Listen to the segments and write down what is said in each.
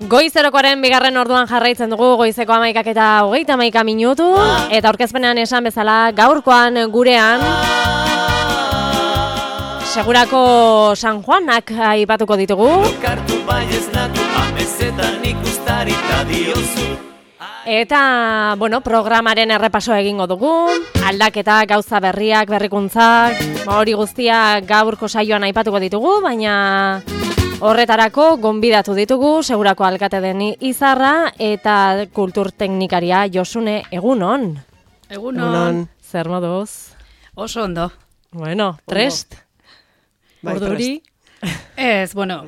Goizerokoaren bigarren orduan jarraitzen dugu, goizeko 11 eta 31 minutu, eta aurkezpenean esan bezala gaurkoan gurean segurako San Juanak aipatuko ditugu. Eta, bueno, programaren errepaso egingo dugu, aldaketa, gauza berriak, berrikuntzak, hori guztia gaurko saioan aipatuko ditugu, baina horretarako gonbidatu ditugu, segurako alkate den Izarra eta kulturteknikaria Josune, egunon. Egunon. Zer moduz? Oso ondo. Bueno, trest? Orduri? Ez, bueno,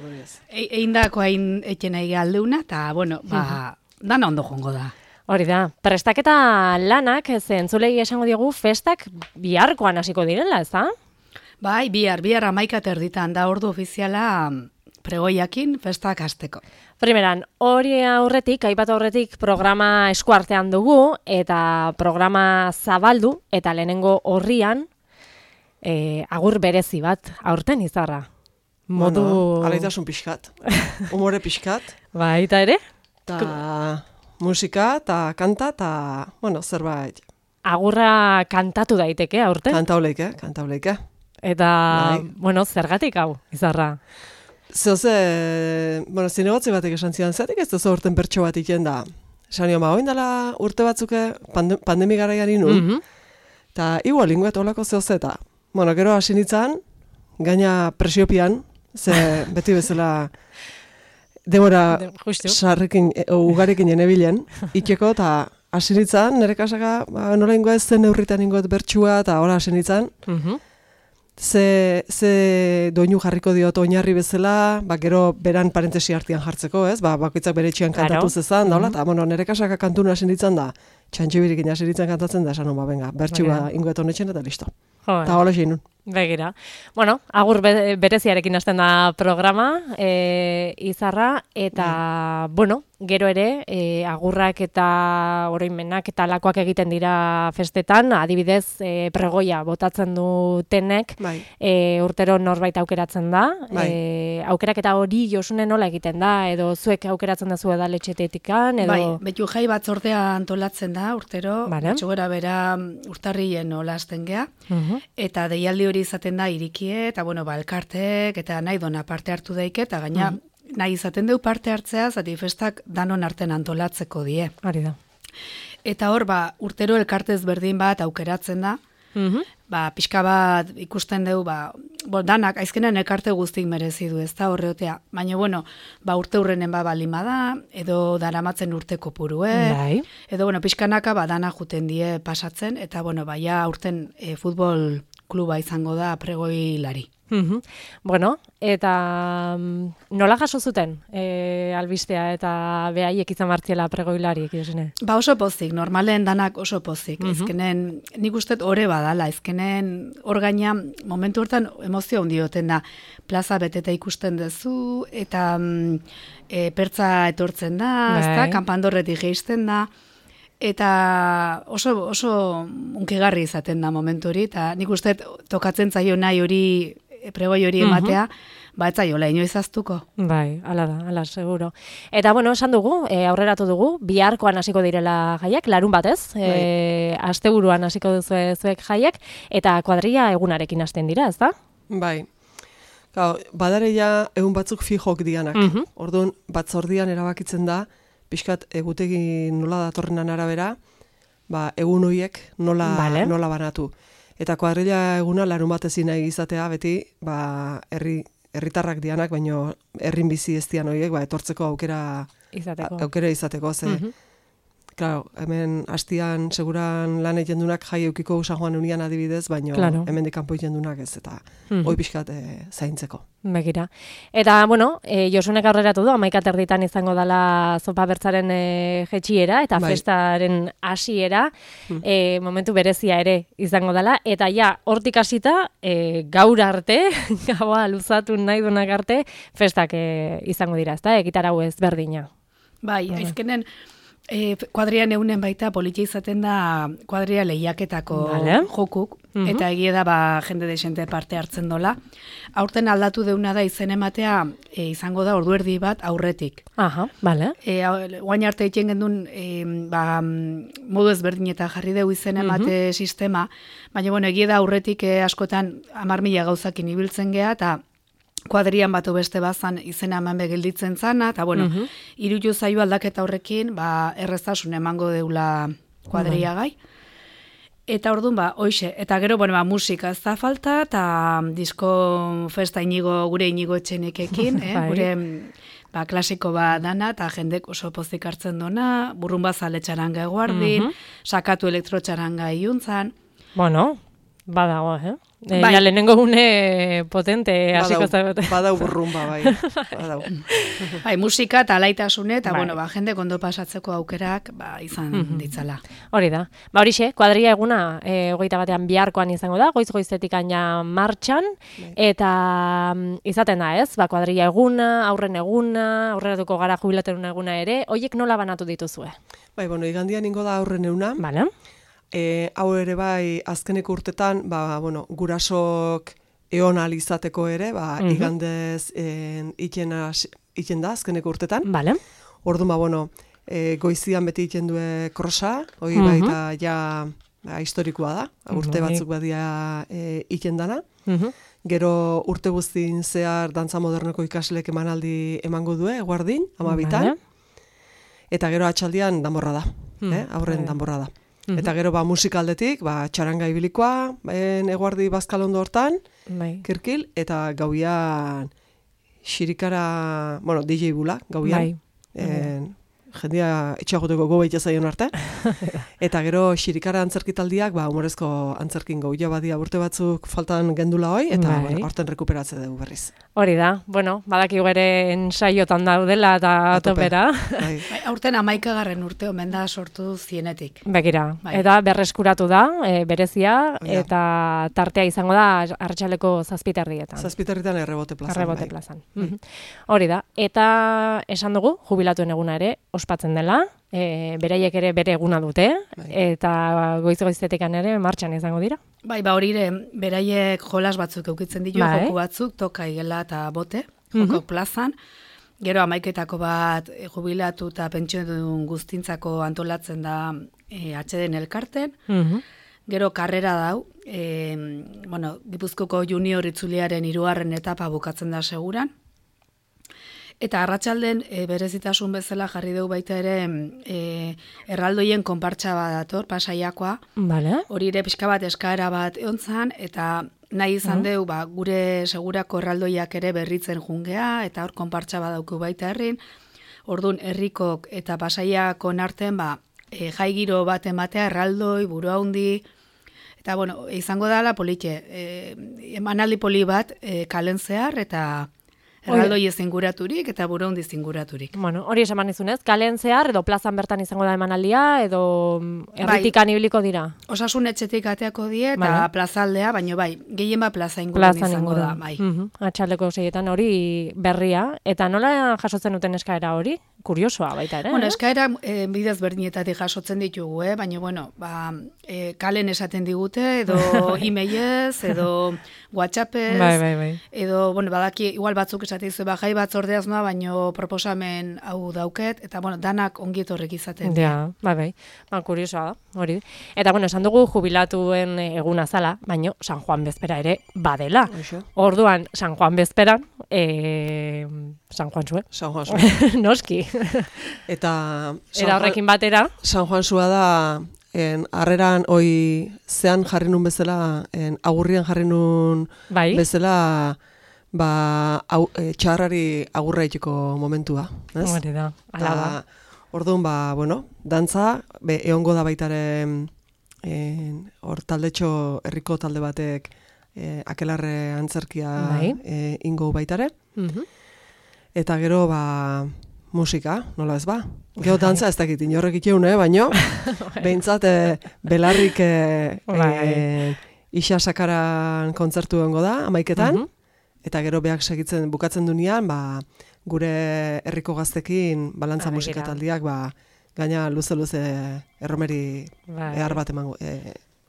eindako hain etxen nahi galdeuna, eta, bueno, dana ondo jongo da. Hori da, prestaketa lanak, entzulei esango diogu, festak biharkoan hasiko direla, ez da? Bai, bihar 11:30 da ordu ofiziala pregoiakin festak hasteko. Primeran, hori aurretik, aipatu aurretik programa eskuartean dugu, eta programa zabaldu, eta lehenengo horrian, agur berezi bat, aurten Izarra. Modu... Bueno, alaitasun pixkat, umore pixkat. Baita ere? Ta musika, ta kanta, ta, bueno, zerbait. Agurra kantatu daiteke aurten? Kantauleike. Eta, bai. Bueno, zergatik hau, Izarra? Bueno, zinegotzi batek esan zidan, zatik ez duzu urten bertso bat iken da. Esan nio, oindala urte batzuke pandemi garaian inun, eta igual ingoet olako zehozeta. Bueno, gero hasi nintzen, gaina presiopian, ze beti bezala demora sarrekin, ugarekin enebilen, ikeko, eta hasi nintzen, nire kasaka, nola ingoet zen neurritan ingoet bertsua, eta hola hasi nintzen, ze doinu jarriko diot oinarri bezala, gero beran parentesi artean jartzeko, ez? Bakoitzak bere etxean kantatu zezan, daula, eta bueno, nire kasaka kantuna hasi nintzen da, txantxibirikin hasi nintzen kantatzen da, esan benga, bertsua ingoet honetxen eta listo. Eta hola xeinun. Begira. Bueno, agur bereziarekin hasten da programa, Izarra, eta, bueno, gero ere, agurrak eta oroimenak eta lakoak egiten dira festetan, adibidez, pregoia botatzen dutenek, urtero norbait aukeratzen da, aukeraketa hori Josune nola egiten da, edo zuek aukeratzen da zu edaletxetetikan, edo... Bai, betu jai batzordea antolatzen da, urtero, batxogera bera urtarrien olasten gea, eta deialdi hori izaten da irikie, eta bueno, elkartek, eta nahi dona parte hartu daike, eta gaina nahi izaten deu parte hartzea, zati festak danon arten antolatzeko die. Hori da. Eta hor, urtero elkartez berdin bat aukeratzen da, pixka bat ikusten deu, danak, aizkenean elkarte guztik merezi du, ez da horreotea. Baina, bueno, urte hurrenen balima da, edo daramatzen urteko purue, edo, pixkanaka dana juten die pasatzen, eta, ja urten futbol kluba izango da pregoilari. Bueno, eta nola jaso zuten albistea eta behaiek izan martziela pregoilariek, Josune? Oso pozik, normalen danak oso pozik. Ezkenen, nik ustet ore badala, ezkenen hor gaina momentu hortan emozio handioten da. Plaza beteta ikusten duzu, eta pertza etortzen da, ezta, kanpandorretik geisten da, eta oso unkigarri izaten da momentu hori, eta nik ustet tokatzen zaio nahi hori pregoi hori ematea, ez zaiola, inoiz aztuko. Bai, ala, seguro. Eta, bueno, esan dugu, aurreratu dugu, biharkoan hasiko direla jaiak, larun batez, asteburuan hasiko duzuek jaiak, eta kuadrilla egunarekin hasten dira, ez da? Bai. Badare ja egun batzuk fijok dianak. Orduan, batzordian erabakitzen da, pixkat egutegi nola datorrenan arabera, egun horiek nola banatu. Eta kuadrilla eguna larun batezin nahi izatea, beti, herritarrak dianak, baino herrin bizi ez dian horiek, etortzeko aukera izateko, ze. Claro, hemen hastian seguran lan egiten dunak jai eukiko San Juan unian adibidez, baino hemen dikampo egiten dunak ez, eta hoi pixkat zaintzeko. Begira. Eta, bueno, Josunek aurreratu du, 11:30 izango dela zopa bertzaren jetxiera, eta festaren hasiera, momentu berezia ere izango dela, eta ja, hortik hasita, gaur arte, gaua luzatu nahi dunak arte, festak izango dira, ezta, egitarau ezberdina. Bai, aizkenen, Kuadrian eunen baita politia izaten da kuadria lehiaketako jokuk, eta egia da jende desente parte hartzen dola. Aurten aldatu deuna da izen ematea izango da orduerdi bat aurretik. Aha, bale. Guain arte egiten gendun modu ezberdinetan jarri dugu izen emate sistema, baina egia da aurretik askotan 10.000 gauzakin ibiltzen geha, eta kuadrian batu beste bazan izena eman begilditzen zana, eta irutu zaio aldaketa horrekin, erreztasun emango deula kuadria gai. Eta orduan, hoxe, eta gero, musika ez da falta, eta disko festa gure Inigo Etxenekekin, gure klasiko dana, eta jendek oso pozik hartzen dona, burrumba zale txaranga eguardin, sakatu elektrotxaranga iuntzan. Bueno, badago, Ja lehenengo gune potente hasiko zagote. Badau burrumba, bai. Musika eta alaitasune, eta jende ondo pasatzeko aukerak izan ditzala. Hori da. Horixe, kuadria eguna 21 biharkoan izango da, goiz-goizetik aina martxan, eta izaten da ez, kuadria eguna, aurren eguna, aurreratuko gara jubilaterun eguna ere, hoiek nola banatu dituzue? Bai, igandian ingo da aurren eguna. Bale. Hau ere bai, azkeneko urtetan, gurasok eon alizateko ere, igandez iten da azkeneko urtetan. Bale. Orduan, goizian beti iten due krosa, hori baita ja historikoa da, urte batzuk badia iten dana. Gero urte guztin zehar dantza modernoko ikaslek emanaldi emango due, eguardin, 12. Eta gero atxaldian danborra da, aurren danborra da. Eta gero musikaldetik, txaranga ibilikoa, eguardi bazkalondo hortan, kirkil, eta gauian xirikara, DJ bula, gauian. Jendia etxagoteko gobeita zaion arte. Eta gero xirikara antzerkitaldiak, humorezko antzerkin gauia badia urte batzuk faltan gendula hoi, eta horten rekuperatze dugu berriz. Hori da, badaki ere ensaiotan daudela eta topera. Aurten 11. urte omen da sortu zienetik. Begira, eta berreskuratu da, berezia, eta tartea izango da Arratsaleko 7:00. 7:00 errebote plazan. Errebote plazan. Hori da, eta esan dugu, jubilatuen eguna ere, ospatzen dela, beraiek ere bere eguna dute, eta goiz-goizetekan ere martxan izango dira. Hori ere, beraiek jolas batzuk eukitzen ditu, joku batzuk, toka igela eta bote, joko plazan. Gero 11etako bat jubilatu eta pentsiodun guztintzako antolatzen da atxeden elkarten. Gero karrera dau, Gipuzkoko junior itzuliaren 3. etapa bukatzen da seguran. Eta arratsalden berezitasun bezala jarri dugu baita ere erraldoien konpartsa bat dator, Pasaiakoa. Hori ere pixka bat eskaera bat eontzan, eta nahi izan dugu gure segurako erraldoiak ere berritzen jungea, eta hor konpartsa bat dauku baita herrin. Orduan herrikok eta Pasaiako narten jai giro bat ematea erraldoi, buru handi, eta izango dala politxe, emanaldi poli bat kalen zehar, eta erraldoi ez inguraturik eta buru handi inguraturik. Hori esan izunez, kalen zehar edo plazan bertan izango da emanaldia edo erritikan ibiliko dira? Osasun etxetik ateako die eta plazaldea, baina gehien plaza ingurun izango da. Atxaldeko 6etan hori berria, eta nola jasotzen duten eskaera hori? Kuriosoa baita ere. Eskaera bidez berdinetatik jasotzen ditugu, baina kalen esaten digute, edo e-mailez, edo WhatsAppez, edo badaki igual batzuk esaten dizu, jai batzordeaz noa, baino proposamen hau dauket, eta danak ongietorrek izaten. Kuriosoa da, hori. Eta esan dugu jubilatuen eguna zala, baino San Juan bezpera ere badela. Orduan, San Juan bezperan, San Juan zue. San Juan zue. Noski. Eta horrekin batera. San Juan zua da, harreran hoi zean jarri nun bezala, agurrian jarri nun bezala, txarrari agurra itxiko momentua. Hori da, ala da. Orduan, dantza, egongo da baitaren, hor taldetxo herriko talde batek, akelarre antzerkia ingo baitare. Eta gero, musika, nola ez ba? Gero dantza ez dakit, inorrek iteune, baino, behintzat, belarrik isa sakaran kontzertu egongo da, 11etan, eta gero beak bukatzen dunean, gure herriko gaztekin balantza musikataldiak gaina luze erromeri ehar bat emango,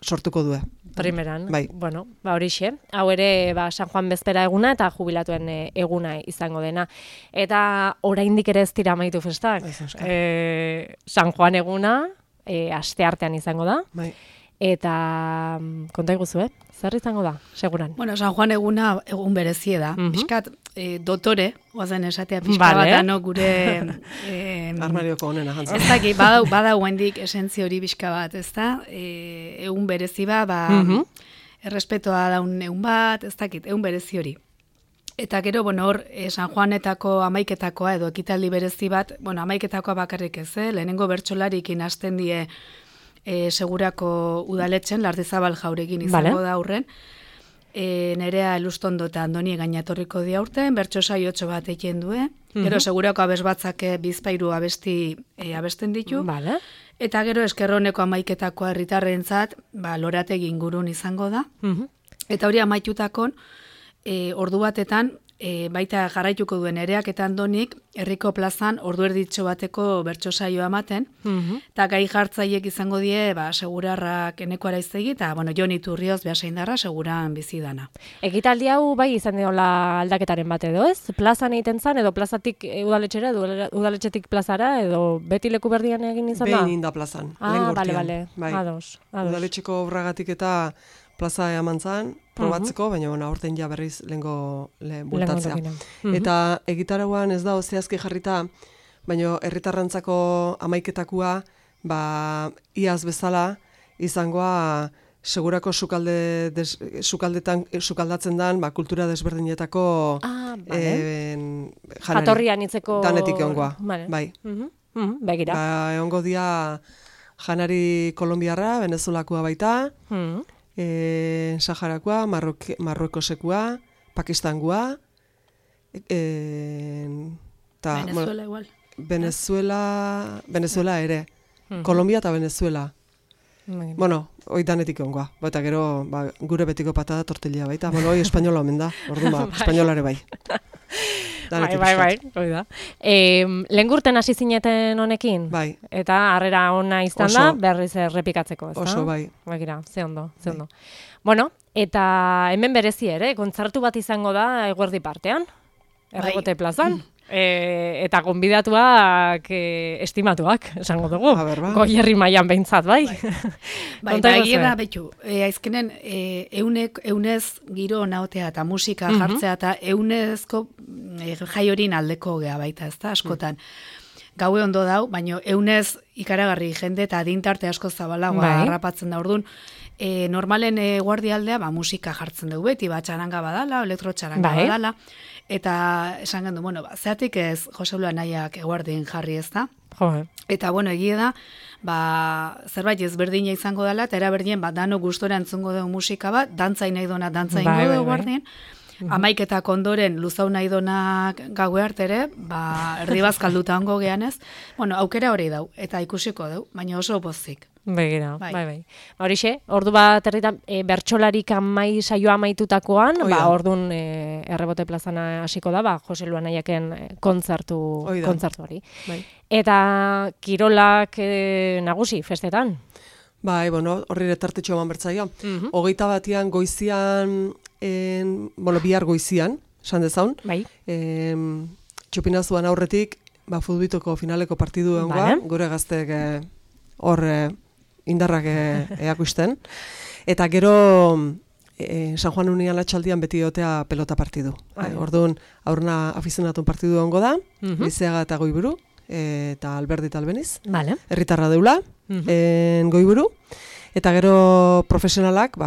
sortuko du. Primeran, bai. Bueno, horixe. Hau ere, San Juan bezpera eguna eta jubilatuen eguna izango dena. Eta oraindik ere ez dira amaitu festak. San Juan eguna, asteartean izango da. Bai. Eta konta iguzu, zer izango da, seguran? Bueno, San Juan eguna egun berezie da. Piskat, dotore, oazen esatea pixka bat, ano gure... Armarioko honena jantzen. Ez daki, badau hendik esentzio hori pixka bat, ez da? Egun berezi errespetoa daun egun bat, ez dakit, egun berezi hori. Eta gero, hor, San Juanetako amaiketakoa edo ekitaldi berezi bat, amaiketakoa bakarrik ez, lehenengo bertsolarikin hasten die segurako udaletxen, Lardizabal Jaurekin izango da aurren, Nerea Elustondo eta Andoni gainatorriko di aurten, bertso saiotxo bat egin du, gero segurako abes batzak bizpairu abesten ditu, eta gero eskerroneko amaiketakoa herritarrentzat, lorategi ingurun izango da, eta hori amaitutakon, ordu batetan, baita jarraituko duen Nereak eta Andonik, herriko plazan ordu erditxo bateko bertso saioa ematen, eta gai jartzaiek izango die, segurarrak eneko araiztegi, eta, Jon Iturrioz behasaindarra seguran bizidana. Ekitaldi hau bai izan diola aldaketaren bat edo, ez? Plazan egiten zan, edo plazatik udaletxera, udaletxetik plazara, edo beti leku berdian egin izan da? Behin inda plazan, bale, bai. Ados. Udaletxeko obragatik eta plaza eman zan, probatzeko, baina aurten ja berriz lehengo bultatzea. Eta egitarauan ez da zehazki jarrita, baina herritarrantzako amaiketakua, iaz bezala, izangoa segurako sukaldatzen dan, kultura desberdinetako jatorrian itzeko danetik egongoa. Bai. Begira. Egongo dia janari kolombiarra, venezuelakoa baita, Saharakoa, Marruekosekua, Pakistangoa, Venezuela igual. Venezuela ere. Kolombia eta Venezuela. Bueno, hoi danetik ongoa. Eta gero, gure betiko patada tortilla baita. Bueno, hoi espainola omen da. Orduan, espainolare bai. Bai, hoi da. Lehengurten hasi zineten honekin? Bai. Eta harrera ona izan da, berriz errepikatzeko, ez da? Oso, bai. Bagira, ze ondo. Bueno, eta hemen berezi ere, kontzertu bat izango da eguerdi partean, Errebote plazan. Eta gonbidatuak estimatuak, esango dugu. Goierri mailan behintzat, bai. Egia da, betu, aizkenen eunez giro naotea eta musika jartzea eta eunezko jai horin aldeko gea baita, ez da, askotan. Gaue ondo dau, baina eunez ikaragarri jende eta adintarte asko zabalagoa harrapatzen da orduan. Normalen guardialdea musika jartzen dugu beti, txaranga badala, elektrotxaranga badala, eta esan gendu, zeatik ez Joselu Anaiak eguardien jarri ez da. Eta, egia da, zerbait ezberdina izango dela, eta eraberdien, dano gustora entzungo dugu musika bat, dantzain nahi dona dantzain dugu eguardien, amaiketak ondoren luzau nahi donak gaue artere, erdibazkalduta ongo geanez, aukera hori dau, eta ikusiko dau, baina oso pozik. Begira, bai. Horixe, ordu bat herritan bertsolarik saioa amaitutakoan, ordun Errebote plazana hasiko da, Jose Luanaiaken kontzertu hori. Eta kirolak nagusi festetan. Bai, horri retartetxo eman bertzaio. 21 goizian, bihar goizian, esan dezaun. Bai. Txupinazuan aurretik, futbitoko finaleko partidu egongoa, gure gaztek hor indarrak eakusten. Eta gero San Juan Unian atxaldian beti otea pelota partidu. Orduan, aurrena afizionatun partidu egongo da, Lizeaga eta Goiburu, eta Alberdi eta Albeniz. Herritarra deula, Goiburu. Eta gero profesionalak,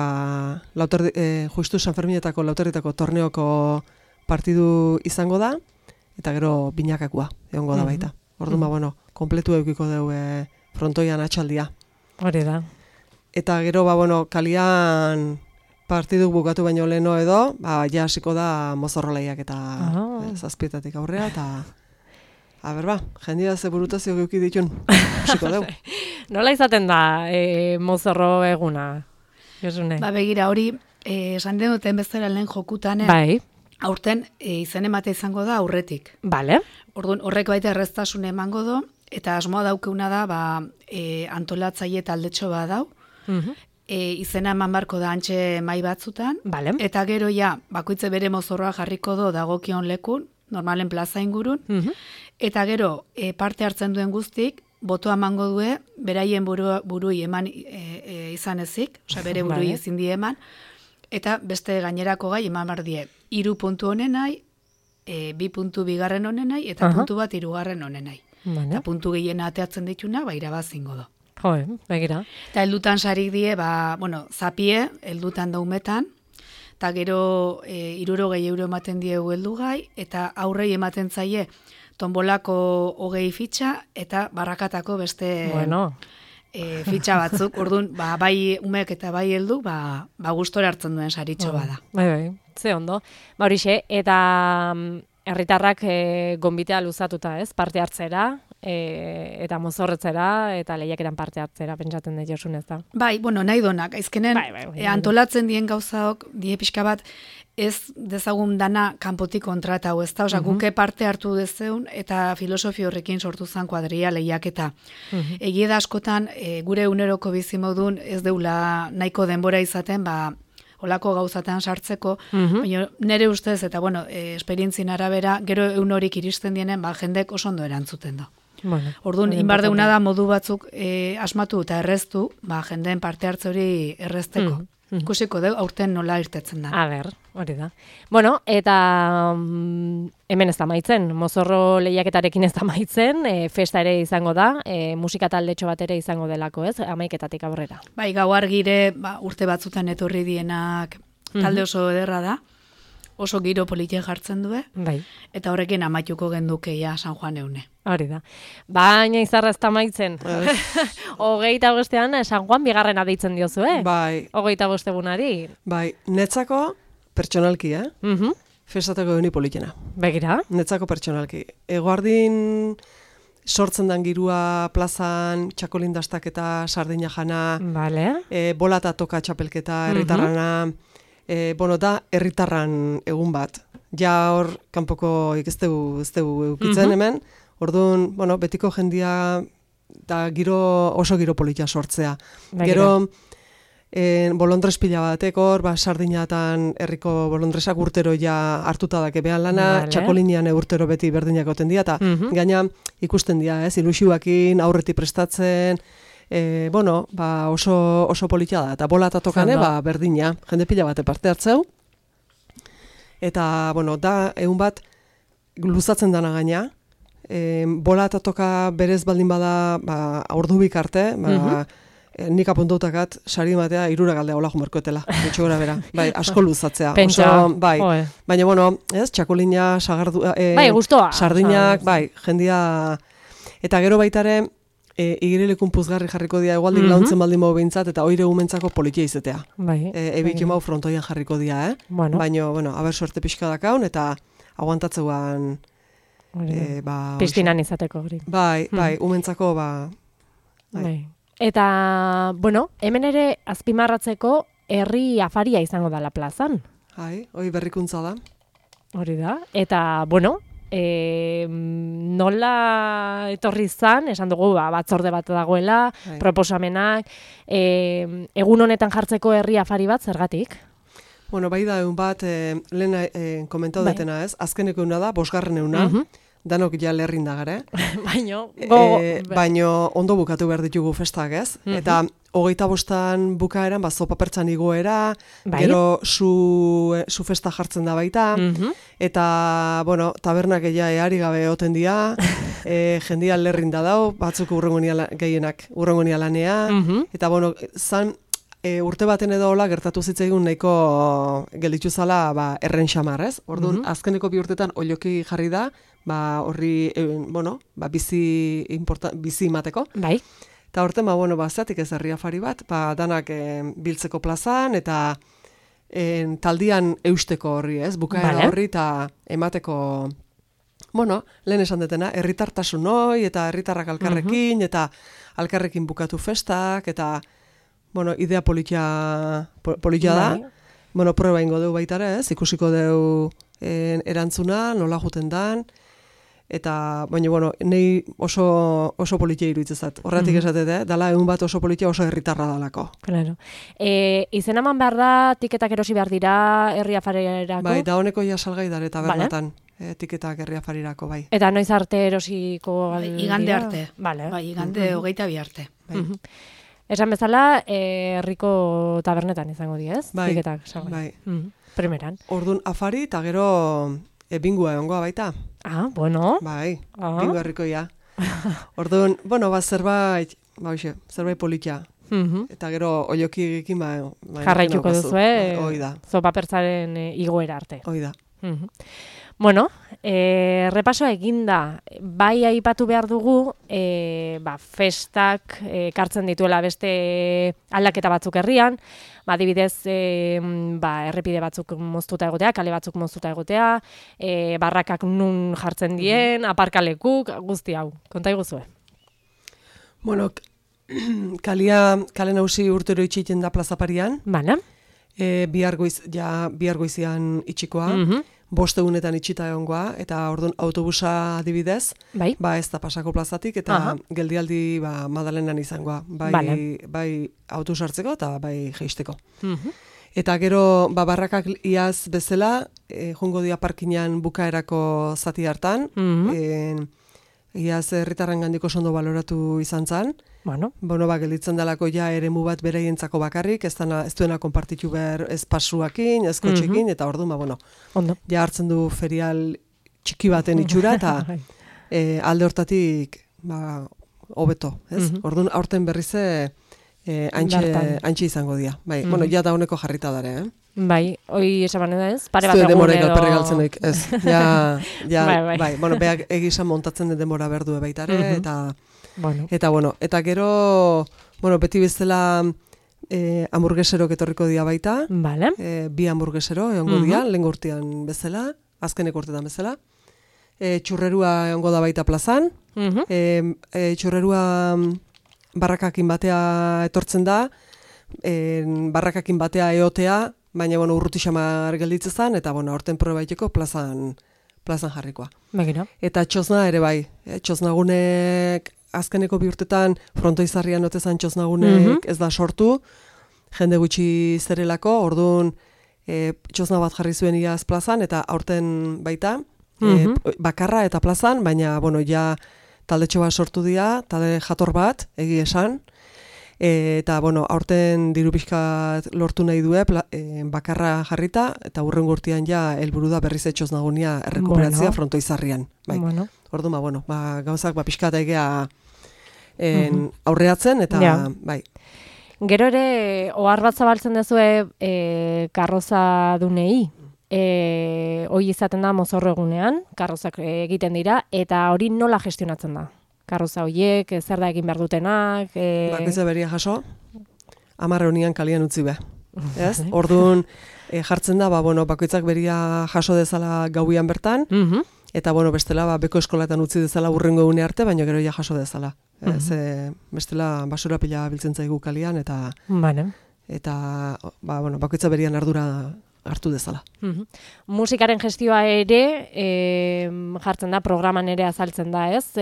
justu San Ferminetako lauterritako torneoko partidu izango da, eta gero binakakua egongo da baita. Orduan, kompletu eukiko dugu frontoian atxaldia. Hori da. Eta gero, kalian partidu bukatu baino leheno edo, ja hasiko da mozorrolaiak eta zazpietatik aurrea, eta jendia ze burutazio geuki ditun, hasiko dugu. Nola izaten da mozorro eguna? Begira, hori, esan den duten bezala lehen jokutan, aurten izen emate izango da aurretik. Bale. Orduan, horrek baita erreztasun emango do, eta asmoa daukeuna da, antolatzaile taldetxo bat dau, izena eman barko da antxe mai batzutan, Vale. eta gero bakoitze bere mozorroa jarriko do dagokion lekun, normalen plaza ingurun, eta gero parte hartzen duen guztik, botoa emango due, beraien burui eman izan ezik, osea bere burui ezin die eman, eta beste gainerako gai eman bardie, 3 puntu honenai, 2 puntu bigarren honenai, eta puntu bat 3. honenai. Eta puntu gehiena ateatzen dituna, irabazingo do. Joe, begira. Eta heldutan sarik die, zapie, heldutan daumetan, eta gero 60 euro ematen diegu heldu gai, eta aurrei ematen zaie tombolako 20 fitxa, eta barrakatako beste fitxa batzuk. Orduan, bai umek eta bai heldu, gustora hartzen duen saritxo bada. Bai, ze ondo. Horixe, eta herritarrak gonbitea luzatuta, ez? Parte hartzera, eta mozorretzera, eta lehiakeran parte hartzera, pentsatzen dut Josun, ez da? Bai, nahi donak, aizkenen antolatzen dien gauzaok, die pixka bat, ez dezagun dana kanpotik kontratau, ez da? Osa, guke parte hartu dezeun, eta filosofi horrekin sortu zen kuadria lehiaketa. Egie da askotan, gure uneroko bizimodun ez deula nahiko denbora izaten, olako gauzatan sartzeko, baina nire ustez, eta esperientzien arabera, gero horik iristen dienen, jendek oso ondo erantzuten da. Orduan, inbar deuna da modu batzuk asmatu eta erreztu, jendeen parte hartze hori errezteko. Ikusiko deu, aurten nola irtetzen da. A ber, hori da. Bueno, eta hemen ez da maitzen, mozorro lehiaketarekin ez da maitzen, festa ere izango da, musika taldetxo bat ere izango delako, ez? 11 aurrera. Bai, gau argire, urte batzutan etorri dienak talde oso ederra da, oso giro politia jartzen du, eta horrekin amaituko gendukeia San Juan eune. Hori da. Baina izarra ez da maitzen. 25ean San Juan bigarrena deitzen diozu, Bai. 25 egunari. Bai, netzako pertsonalki, festatako euni politena. Begira. Netzako pertsonalki. Eguardin sortzen dan girua plazan, txakolindastak eta sardina jana, bolata toka txapelketa, herritarrana, da herritarran egun bat. Ja hor, kanpoko ez dugu eukitzen hemen, orduan, betiko jendia da oso giro politia sortzea. Gero, bolondres pila batek hor, sardinatan herriko bolondresak urtero ja hartuta dake behan lana, txakolinian urtero beti berdinak goten dira, eta gaina ikusten dira, ilusioakin, aurretik prestatzen, oso politia da, eta bola eta tokane, berdina, jende pila bate parte hartzeu, eta, da, egun bat, luzatzen dana gaina, bola eta toka berez baldin bada, ordubik arte, nik apuntautakat, sari ematea, 3 galdea hola jumerkoetela, betxo gora bera, asko luzatzea. Pentsa, baina, txakolina, sagardu, gustoa. Sardinak, jendia, eta gero baitare, igirilekun puzgarri jarriko dia, egualdik launtzen baldin mau behintzat, eta oire gumentzako politia izatea. Ebik emau frontoian jarriko dia, baina, haber suerte pixka dakaun, eta aguantatzeuan, pistinan izateko hori. Bai, umentzako, Eta, hemen ere azpimarratzeko herri afaria izango dala plazan. Hoi berrikuntza da. Hori da. Eta, nola etorri zan, esan dugu, batzorde bat dagoela, proposamenak, egun honetan jartzeko herri afari bat, zergatik? Bai da, egun bat, lehen komentau detena ez, azkeneko euna da, 5. euna, danok ja lerrin da gara, baino ondo bukatu behar ditugu festak, ez? Eta 25 bukaeran, zopa pertsan igoera, gero su festa jartzen da baita, eta, tabernak eari gabe oten dia, jendia lerrin da dau, batzuk gehienak urrengo lanea, eta, zan, urte baten edo hola gertatu zitzaigun nahiko gelditu zala erren xamar, ez? Orduan, azkeneko 2 urtetan oioki jarri da, horri, bizi imateko. Bai. Eta horten, zeatik ez herri afari bat, danak biltzeko plazan, eta taldian eusteko horri, ez? Bukaera horri, eta emateko, lehen esan detena, herritartasun hoi, eta herritarrak alkarrekin, eta alkarrekin bukatu festak, eta idea politia da. Proba ingo dugu baitare, ez? Ikusiko dugu erantzuna, nola juten dan. eta, baina, bueno, nei oso politia iruditzen zat. Horretik esatete, dala egun bat oso politia oso herritarra dalako. Claro. Izen eman behar da, tiketak erosi behar dira herri afarirako? Bai, da honeko ja salgai dare tabernatan, tiketak herri afarirako, bai. Eta noiz arte erosiko igande arte. Vale. Bai, igande 22 arte. Bai. Esan bezala, herriko tabernetan izango dira, ez? Bai, Tiketak, salgai. bai. Primeran. Ordun afari eta gero bingua egongoa baita. Ah, bueno. Bai, bingu herrikoia. Orduan, bueno, zerbait politia. Eta gero oiokigekin jarraituko duzu, hoi da. Zopa pertsaren igoera arte. Hoi da. Bueno, repasoa eginda, bai aipatu behar dugu, festak kartzen dituela beste aldaketa batzuk herrian, adibidez, errepide batzuk moztuta egotea, kale batzuk moztuta egotea, barrakak nun jartzen dien, aparkalekuk, guzti hau. Konta iguzue. Bueno, kale nausi urtero itxiten da plazaparian. Bale. Bihar goizian itxikoa. Boste egunetan itxita egongoa, eta orduan autobusa adibidez, bai. Ez da pasako plazatik, eta geldialdi Madalenan izangoa, bai autobus hartzeko eta bai jeisteko. Eta gero barrakak iaz bezala, joango dia parkinan bukaerako zati hartan, iaz herritarren gandiko sondo baloratu izan zen, gelditzen dalako ja eremu bat beraientzako bakarrik, ez duena konpartitu behar ez pasuakin, ez kotxekin, eta orduan, ja hartzen du ferial txiki baten itxura, eta alde hortatik, hobeto, ez? Orduan, aurten berrize, antxe izango dira. Bai, ja da honeko jarrita dare, Bai, hoi esaban da ez? Pare bat egun demora edo... galperri galtzenik, ez. Bai. Bueno, beak egizan montatzen den demora berdue baitare, eta gero, beti bezala hamburgueserok etorriko dia baita, bi hamburguesero egongo dia, lehen urtean bezala, azkenek urtetan bezala, txurrerua egongo da baita plazan, txurrerua barrakakin batea etortzen da, barrakakin batea eotea, baina urruti xamar gelditzen zen, eta horten probaiteko plazan jarrikoa. Eta txosna ere bai, txosnagunek azkeneko bi urtetan frontoizarrian otezan txosnagunek ez da sortu, jende gutxi zerelako, orduan txosna bat jarri zuen iaz plazan, eta aurten baita, bakarra eta plazan, baina ja taldetxo bat sortu dira, talde jator bat, egi esan, eta aurten diru pixkat lortu nahi due, bakarra jarrita, eta hurrengo urtean ja helburu da berriz txosnagunia errekuperatzea frontoizarrian. Orduan, gauzak pixkat egea aurreatzen, eta bai. Gero ere, ohar bat zabaltzen duzue karroza dunei, hoi izaten da mozorro egunean, karrozak egiten dira, eta hori nola gestionatzen da? Karroza horiek, zer da egin behar dutenak? Bakoitza beria jaso, 10 honian kalian utzi be. Orduan jartzen da, bakoitzak beria jaso dezala gauian bertan, eta bestela beko eskolatan utzi dezala hurrengo egune arte, baina gero ja jaso dezala. Bestela basura pila biltzen zaigu kalian, eta bakoitza berian ardura hartu dezala. Musikaren gestioa ere jartzen da, programan ere azaltzen da, ez?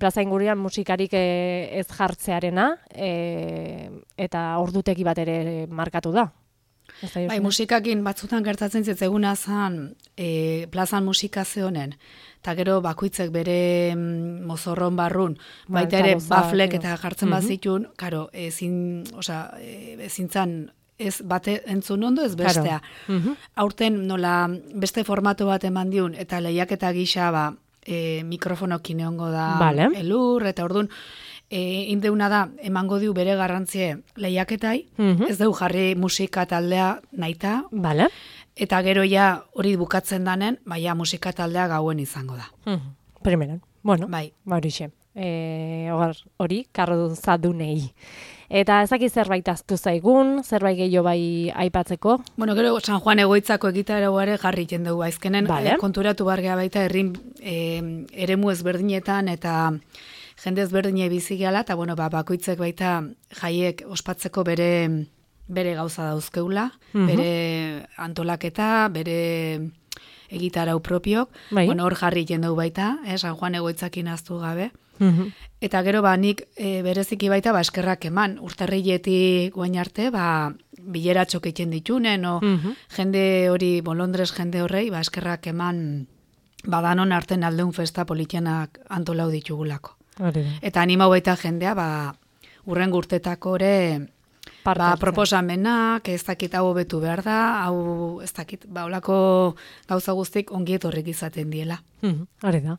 Plaza ingurian musikarik ez jartzearena, eta ordutegi bat ere markatu da. Bai, musikakin batzutan gertatzen zitzeguna zen plazan musika zehonen, eta gero bakoitzek bere mozorron barrun, baita ere baflek eta jartzen bazitun, karo, ezintzan ez bate entzun ondo, ez bestea. Aurten nola beste formato bat eman diun, eta lehiaketa gisa mikrofonokin egongo da elur, eta orduan indeuna da, emango diu bere garrantzie lehiaketai, ez dugu jarri musika taldea nahita, eta gero ja hori bukatzen danen, musika taldea gauen izango da. Primeran, horixe. Hori, karrozadunei. Eta ezaki zerbait aztu zaigun, zerbait gehiago bai aipatzeko? Gero San Juan egoitzako egitaragoa ere jarri jendugu. Azkenen konturatu bargea baita eremu ezberdinetan eta jende ezberdine bizigeala, eta bakoitzek baita jaiek ospatzeko bere gauza dauzkeula, bere antolaketa, bere egitarau propiok, Bai. bueno, hor jarri jendeu baita, San Juan egoitzakin aztu gabe. Mhm. Eta gero nik bereziki baita eskerrak eman, urtarriletik guain arte, bileratxok egiten ditunen, jende hori, Londres jende horrei, eskerrak eman danon arten aldeun festa politianak antolau ditugulako. Eta animau baita jendea, urren urtetako ere, proposamenak, ez dakit hau hobetu behar da, hau ez dakit, olako gauza guztik ongi etorrik izaten diela. Hori da.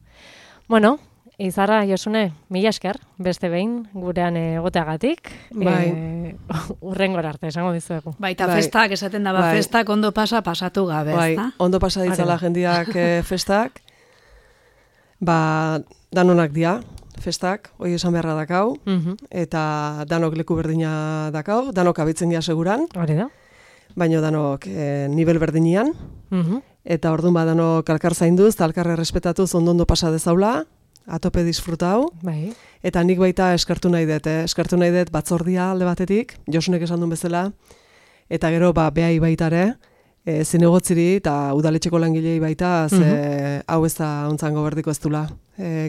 Bueno, Izarra, Josune, mila esker, beste behin, gurean egoteagatik. Bai. Urrengora arte, esango dizuegu. Baita festak, esaten da, festak ondo pasatu gabe, bai, ezta? ondo pasa ditzala jendiak festak, danonak dia, festak, hoi esan beharra dakau, eta danok leku berdina dakau, danok abitzen gia seguran, hori da. baino danok nivel berdinean, eta orduan danok alkar zainduz, eta alkarre respetatuz ondo pasa dezaula, atope disfrutau, Bai. eta nik baita eskartu nahi dut batzordia alde batetik, Josunek esan duen bezala, eta gero behai baitare, zinegotziri eta udaletxeko langilei baita, hau ez da ontzango berdiko ez dula.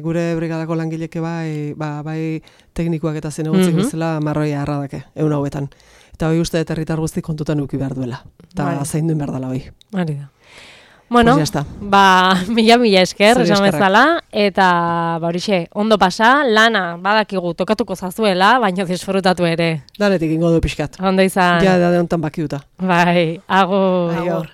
Gure brigadako langileke bai teknikoak eta zinegotzik bezala marroia harradake, egun hauetan. Eta hoi uste herritar guzti kontutan uki behar duela. Eta zein duen behar dela hoi. Hori da. Bueno, mila esker, esan bezala, eta horixe, ondo pasa, lana badakigu tokatuko zazuela, baina disfrutatu ere. Danetik ingo du pixkat. Ondo izan. Ja, da hontan bakiuta. Bai, agur.